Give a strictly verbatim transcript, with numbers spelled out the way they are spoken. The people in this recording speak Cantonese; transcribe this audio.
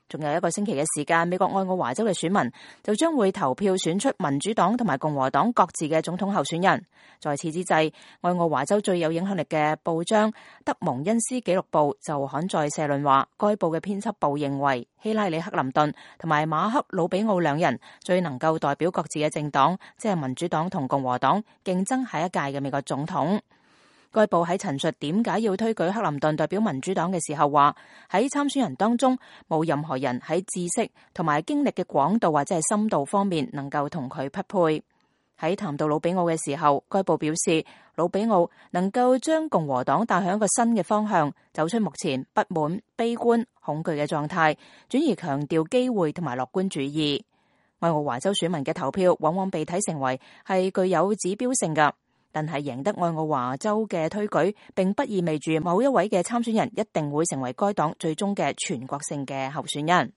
仲有一個星期嘅時間，美國愛奧華州嘅選民就將會投票選出民主黨同埋共和黨各自嘅總統候選人。在此之際，愛奧華州最有影響力嘅報章德蒙恩斯紀錄報就刊載社論話，該報嘅編輯部認為希拉里克林頓同埋馬克魯比奧兩人最能夠代表各自嘅政黨，即係民主黨同共和黨競爭下一屆嘅美國總統。該報喺陳述點解要推舉克林頓代表民主黨嘅時候話，喺參選人當中冇任何人喺知識同埋經歷嘅廣度或者係深度方面能夠同佢匹配。喺談到魯比奧嘅時候，該報表示魯比奧能夠將共和黨帶向一個新嘅方向，走出目前不滿、悲觀、恐懼嘅狀態，轉而強調機會同埋樂觀主義。愛奧華州選民嘅投票往往被睇成為係具有指標性㗎。但係贏得愛奧華州嘅推舉，並不意味住某一位嘅參選人一定會成為該黨最終嘅全國性嘅候選人。